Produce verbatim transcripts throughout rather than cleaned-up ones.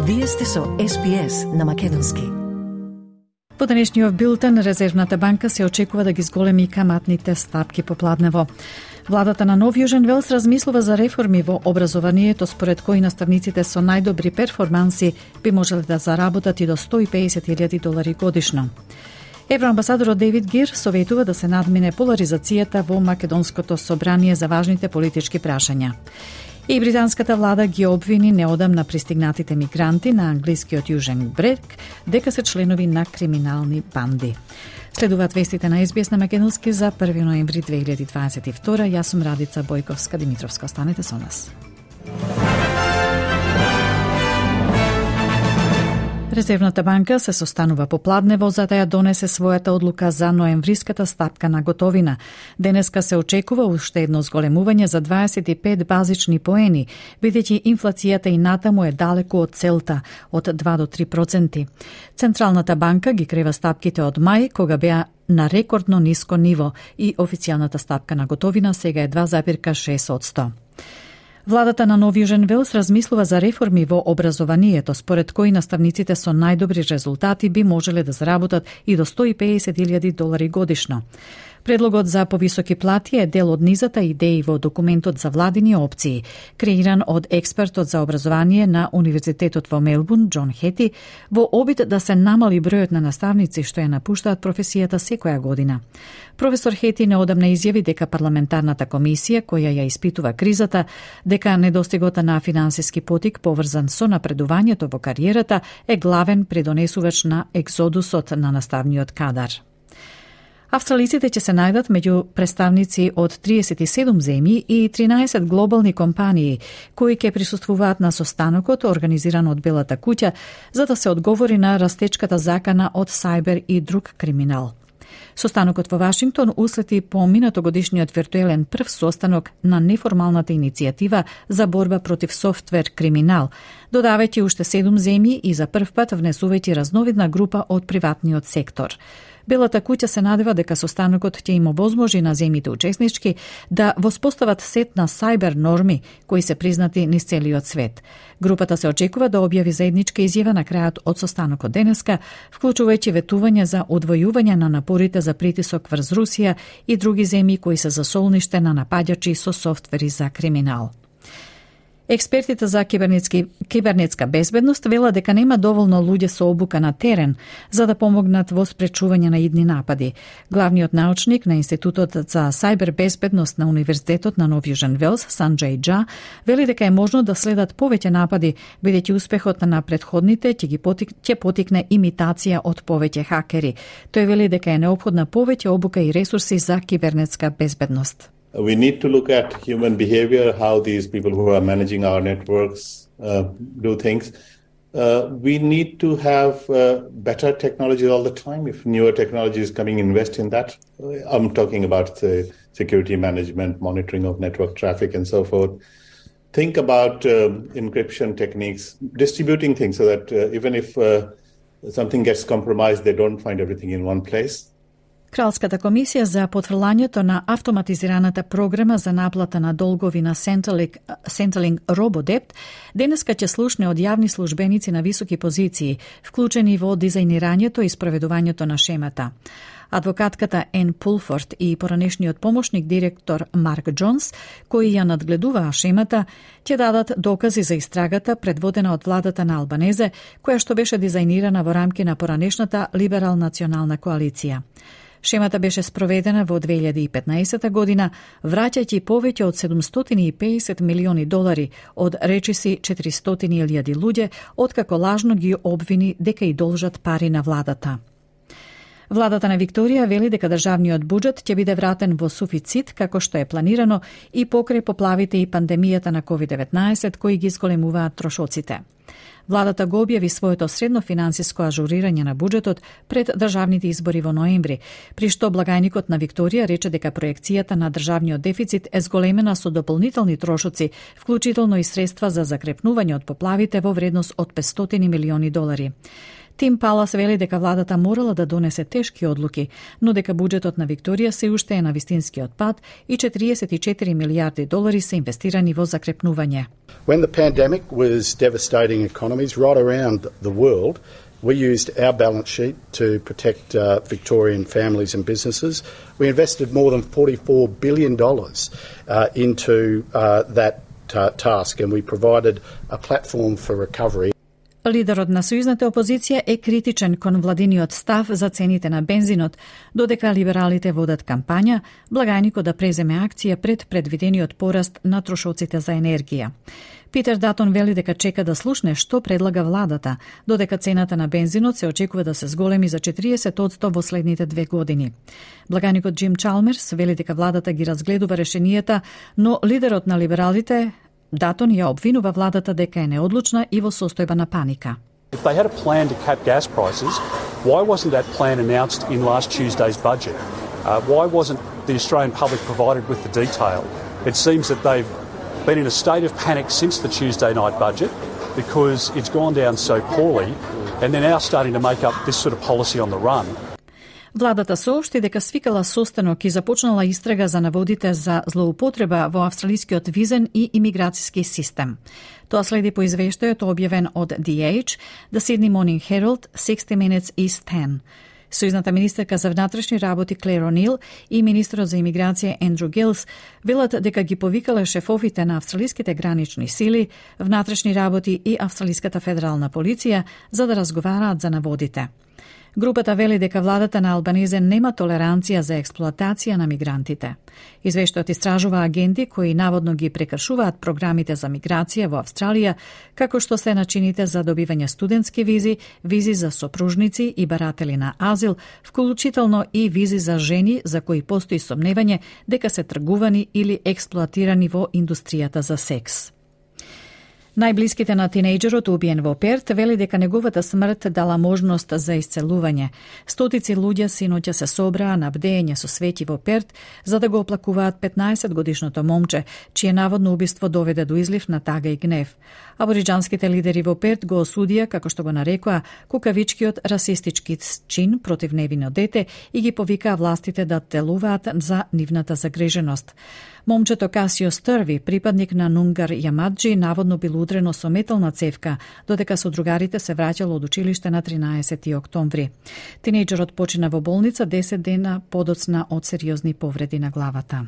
Вие сте со Ес Би Ес на македонски. Во денешниот билтен, Резервната банка се очекува да ги зголеми каматните стапки попладнево. Владата на Нов Јужен Велс размислува за реформи во образованието, според кои наставниците со најдобри перформанси би можеле да заработат и до сто и песет илјади долари годишно. Евроамбасадорот Дейвид Гир советува да се надмине поларизацијата во македонското собрание за важните политички прашања. И британската влада ги обвини неодамна пристигнатите мигранти на англискиот Јужен брег дека се членови на криминални банди. Следуваат вестите на Ес Би Ес на македонски за први ноември две илјади дваесет и втора. Јас сум Радица Бојковска-Димитровска. Останете со нас. Резервната банка се состанува попладнево за да ја донесе својата одлука за ноемвриската стапка на готовина. Денеска се очекува уште едно зголемување за дваесет и пет базични поени, бидејќи инфлацијата и натаму е далеку од целта од два до три проценти. Централната банка ги крева стапките од мај, кога беа на рекордно ниско ниво и официјалната стапка на готовина сега е два запирка шест одсто. Владата на Нов Јужен Велс размислува за реформи во образованието, според кои наставниците со најдобри резултати би можеле да заработат и до сто и песет илјади долари годишно. Предлогот за повисоки плати е дел од низата идеи во документот за владини опции, креиран од експертот за образование на Универзитетот во Мелбурн, Џон Хети, во обид да се намали бројот на наставници што ја напуштаат професијата секоја година. Професор Хети неодамна изјави дека парламентарната комисија, која ја испитува кризата, дека недостигот на финансиски потик поврзан со напредувањето во кариерата е главен придонесувач на екзодусот на наставниот кадар. Австралиците ќе се најдат меѓу представници од триесет и седум земји и тринаесет глобални компании кои ќе присуствуваат на состанокот организиран од Белата куќа за да се одговори на растечката закана од сајбер и друг криминал. Состанокот во Вашингтон услети по минатогодишниот виртуелен прв состанок на неформалната иницијатива за борба против софтвер криминал, додавајќи уште седум земји и за прв пат внесувајќи разновидна група од приватниот сектор. Белата куќа се надева дека состанокот ќе им овозможи на земјите учеснички да воспостават сет на сајбер норми кои се признати низ целиот свет. Групата се очекува да објави заедничка изјава на крајот од состанокот денеска, вклучувајќи ветување за одвојување на напорите за притисок врз Русија и други земји кои се за солниште на напаѓачи со софтвери за криминал. Експертите за кибернетски, кибернетска безбедност велат дека нема доволно луѓе со обука на терен за да помогнат во спречување на идни напади. Главниот научник на Институтот за сајбер безбедност на Универзитетот на Нов Јужен Велс, Санџеј Џа, вели дека е можно да следат повеќе напади, бидејќи успехот на претходните ќе ги потик, ќе потикне имитација од повеќе хакери. Тој вели дека е неопходна повеќе обука и ресурси за кибернетска безбедност. We need to look at human behavior, how these people who are managing our networks uh, do things. Uh, we need to have uh, better technology all the time. If newer technology is coming, invest in that. I'm talking about uh, security management, monitoring of network traffic, and so forth. Think about um, encryption techniques, distributing things so that uh, even if uh, something gets compromised, they don't find everything in one place. Кралската комисија за потврлањето на автоматизираната програма за наплата на долгови на Centrelink, Centrelink RoboDebt денеска ќе слушне од јавни службеници на високи позиции, вклучени во дизајнирањето и спроведувањето на шемата. Адвокатката Ен Пулфорд и поранешниот помошник директор Марк Джонс, кои ја надгледуваа шемата, ќе дадат докази за истрагата предводена од владата на Албанезе, која што беше дизајнирана во рамки на поранешната либерал-национална коалиција. Шемата беше спроведена во две илјади и петнаесета година, враќајќи повеќе од седумстотини и песет милиони долари од речиси четиристотини илјади луѓе, откако лажно ги обвини дека и должат пари на владата. Владата на Викторија вели дека државниот буџет ќе биде вратен во суфицит како што е планирано и покрај поплавите и пандемијата на ковид деветнаесет кои ги зголемуваат трошоците. Владата го објави своето средно финансиско ажурирање на буџетот пред државните избори во ноември, при што благајникот на Викторија рече дека проекцијата на државниот дефицит е зголемена со дополнителни трошоци, вклучително и средства за закрепнување од поплавите во вредност од петстотини милиони долари. Тим Палас вели дека владата морала да донесе тешки одлуки, но дека буџетот на Викторија се уште е на вистинскиот пат и четириесет и четири милијарди долари се инвестирани во закрепнување. When the pandemic was devastating economies right around the world, we used our balance sheet to protect uh, Victorian families and businesses. We invested more than forty-four billion dollars uh, into uh, that ta- task, and we provided a platform for recovery. Лидерот на сојузната опозиција е критичен кон владиниот став за цените на бензинот, додека либералите водат кампања, благајникот да преземе акција пред предвидениот пораст на трошоците за енергија. Питер Датон вели дека чека да слушне што предлага владата, додека цената на бензинот се очекува да се зголеми за четириесет одсто во следните две години. Благајникот Джим Чалмерс вели дека владата ги разгледува решенијата, но лидерот на либералите Датон ја обвинува владата дека е неодлучна и во состојба на паника. If they had a plan to cap gas prices, why wasn't that plan announced in last Tuesday's budget? Uh, why wasn't the Australian public provided with the detail? It seems that they've been in a state of panic since the Tuesday night budget because it's gone down so poorly, and they're now starting to make up this sort of policy on the run. Владата соопшти дека свикала состанок и започнала истрага за наводите за злоупотреба во австралискиот визен и имиграцијски систем. Тоа следи по извештајот објавен од The Age, The Sydney Morning Herald, sixty minutes East ten. Сојузната министерка за внатрешни работи Клер О'Нил и министерот за имиграција Ендрю Гилс велат дека ги повикале шефовите на австралиските гранични сили, внатрешни работи и австралиската федерална полиција за да разговараат за наводите. Групата вели дека владата на Албанезе нема толеранција за експлоатација на мигрантите. Извештајот истражува агенти кои наводно ги прекршуваат програмите за миграција во Австралија, како што се начините за добивање студентски визи, визи за сопружници и баратели на азил, вклучително и визи за жени за кои постои сомневање дека се тргувани или експлоатирани во индустријата за секс. Најблиските на тинејџерот убиен во Перт вели дека неговата смрт дала можност за исцелување. Стотици луѓе синоќа се собраа на бдење со свети во Перт за да го оплакуваат петнаесет годишното момче, чие наводно убиство доведе до излив на тага и гнев. Абориџанските лидери во Перт го осудија, како што го нарекоа, кукавичкиот расистички чин против невино дете и ги повикаа властите да телуваат за нивната загриженост. Момчето Касио Стърви, припадник на Нунгар Јамаджи, наводно бил удрено со метална цевка, додека со другарите се враќало од училиште на тринаесети октомври. Тинејџерот почина во болница десет дена подоцна од сериозни повреди на главата.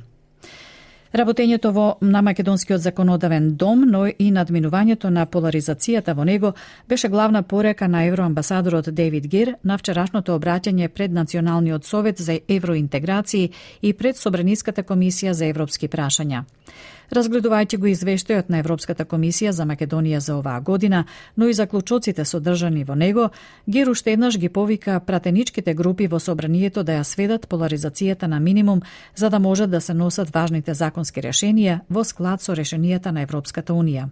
Работењето во на Македонскиот законодавен дом, но и надминувањето на поларизацијата во него беше главна порека на евроамбасадорот Дейвид Гир на вчерашното обраќање пред Националниот совет за евроинтеграции и пред Собраниската комисија за европски прашања. Разгледувајќи го извештајот на Европската комисија за Македонија за оваа година, но и заклучоците содржани во него, Гир уште еднаш ги повика пратеничките групи во собранието да ја сведат поларизацијата на минимум за да можат да се носат важните законски решенија во склад со решенијата на Европската унија.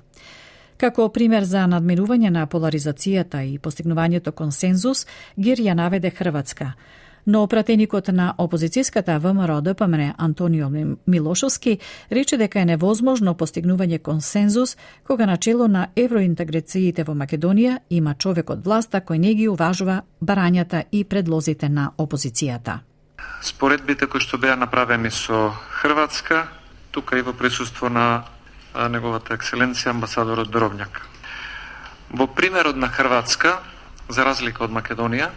Како пример за надминување на поларизацијата и постигнувањето консензус, Гир ја наведе Хрватска. Но пратеникот на опозицијската ВМРО Д П М Н Антонио Милошовски рече дека е невозможно постигнување консензус кога начело на евроинтеграциите во Македонија има човек од власта кој не ги уважува барањата и предлозите на опозицијата. Споредбите кои што беа направени со Хрватска, тука и во присуство на неговата екселенција амбасадорот Дробњак. Во примерот на Хрватска, за разлика од Македонија,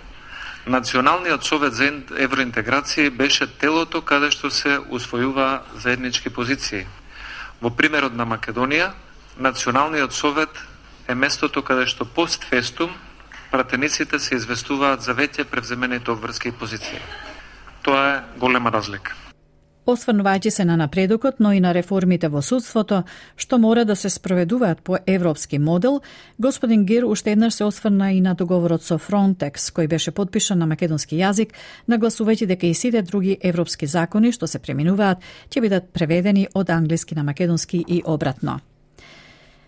Националниот совет за евроинтеграција беше телото каде што се усвојува заеднички позиции. Во примерот на Македонија, Националниот совет е местото каде што постфестум пратениците се известуваат за веќе превземените обврски позиции. Тоа е голема разлика. Осврнувајќи се на напредокот, но и на реформите во судството, што мора да се спроведуваат по европски модел, господин Гир уште еднаш се осврна и на договорот со Frontex, кој беше подпишан на македонски јазик, нагласувајќи дека и сите други европски закони што се преминуваат ќе бидат преведени од англиски на македонски и обратно.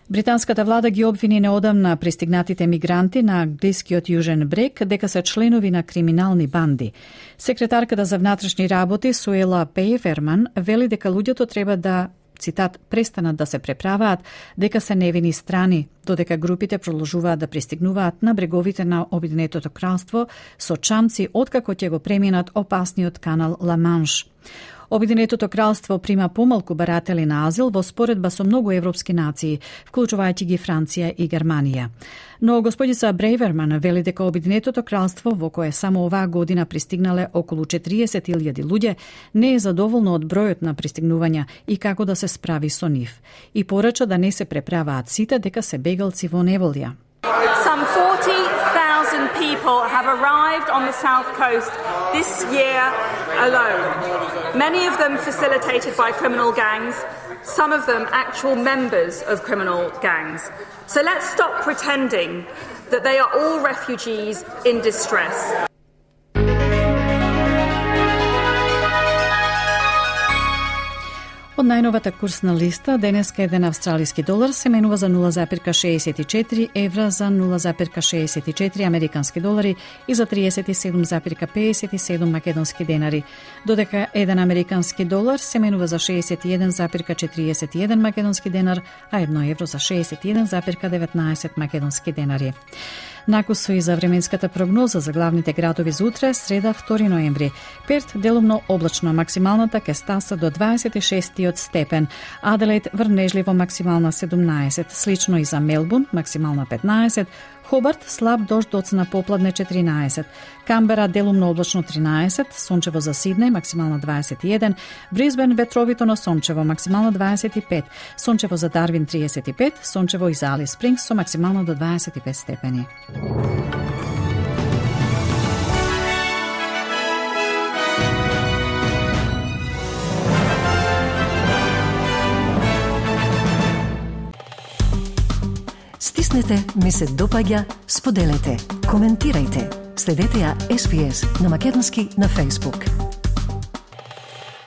Британската влада ги обвини неодамна пристигнатите мигранти на англискиот јужен брег дека се членови на криминални банди. Секретарката за внатрешни работи Суела Пейферман вели дека луѓето треба да цитат, престанат да се преправаат, дека се невини страни, додека групите продолжуваат да пристигнуваат на бреговите на Обединетото кралство со чамци откако ќе го преминат опасниот канал Ла Манш. Обединетото кралство прима помалку баратели на азил во споредба со многу европски нации, вклучувајќи ги Франција и Германија. Но господица Брейверман вели дека Обединетото кралство, во кое само оваа година пристигнале околу четириесет илјади луѓе, не е задоволно од бројот на пристигнувања и како да се справи со нив. И порача да не се преправаат сите дека се бегалци во неволја. Some forty thousand people have arrived on the south coast this year alone. Many of them facilitated by criminal gangs, some of them actual members of criminal gangs. So let's stop pretending that they are all refugees in distress. Од најновата курсна листа, денеска еден австралиски долар се менува за нула запирка шеесет и четири евра, за нула запирка шеесет и четири американски долари и за триесет и седум запирка пеесет и седум македонски денари, додека еден американски долар се менува за шеесет и еден запирка четириесет и еден македонски денар, а едно евро за шеесет и еден запирка деветнаесет македонски денари. Накусо и за временската прогноза за главните градови за утре, среда втори ноември. Перт делумно облачно, максималната ќе стаса до дваесет и шестиот степен. Аделаид врнежливо максимална седумнаесет, слично и за Мелбурн максимална петнаесет, Хобарт слаб дожд доцна попладне четиринаесет, Камбера делумно облачно тринаесет, сончево за Сиднеј максимална дваесет и еден, Брисбен ветровито но сончево максимална дваесет и пет, сончево за Дарвин триесет и пет, сончево и за Алис Спрингс со максимално до дваесет и пет степени. Стиснете, ми се допаѓа, споделете, коментирајте. Следете ја Ес Би Ес на македонски на Facebook.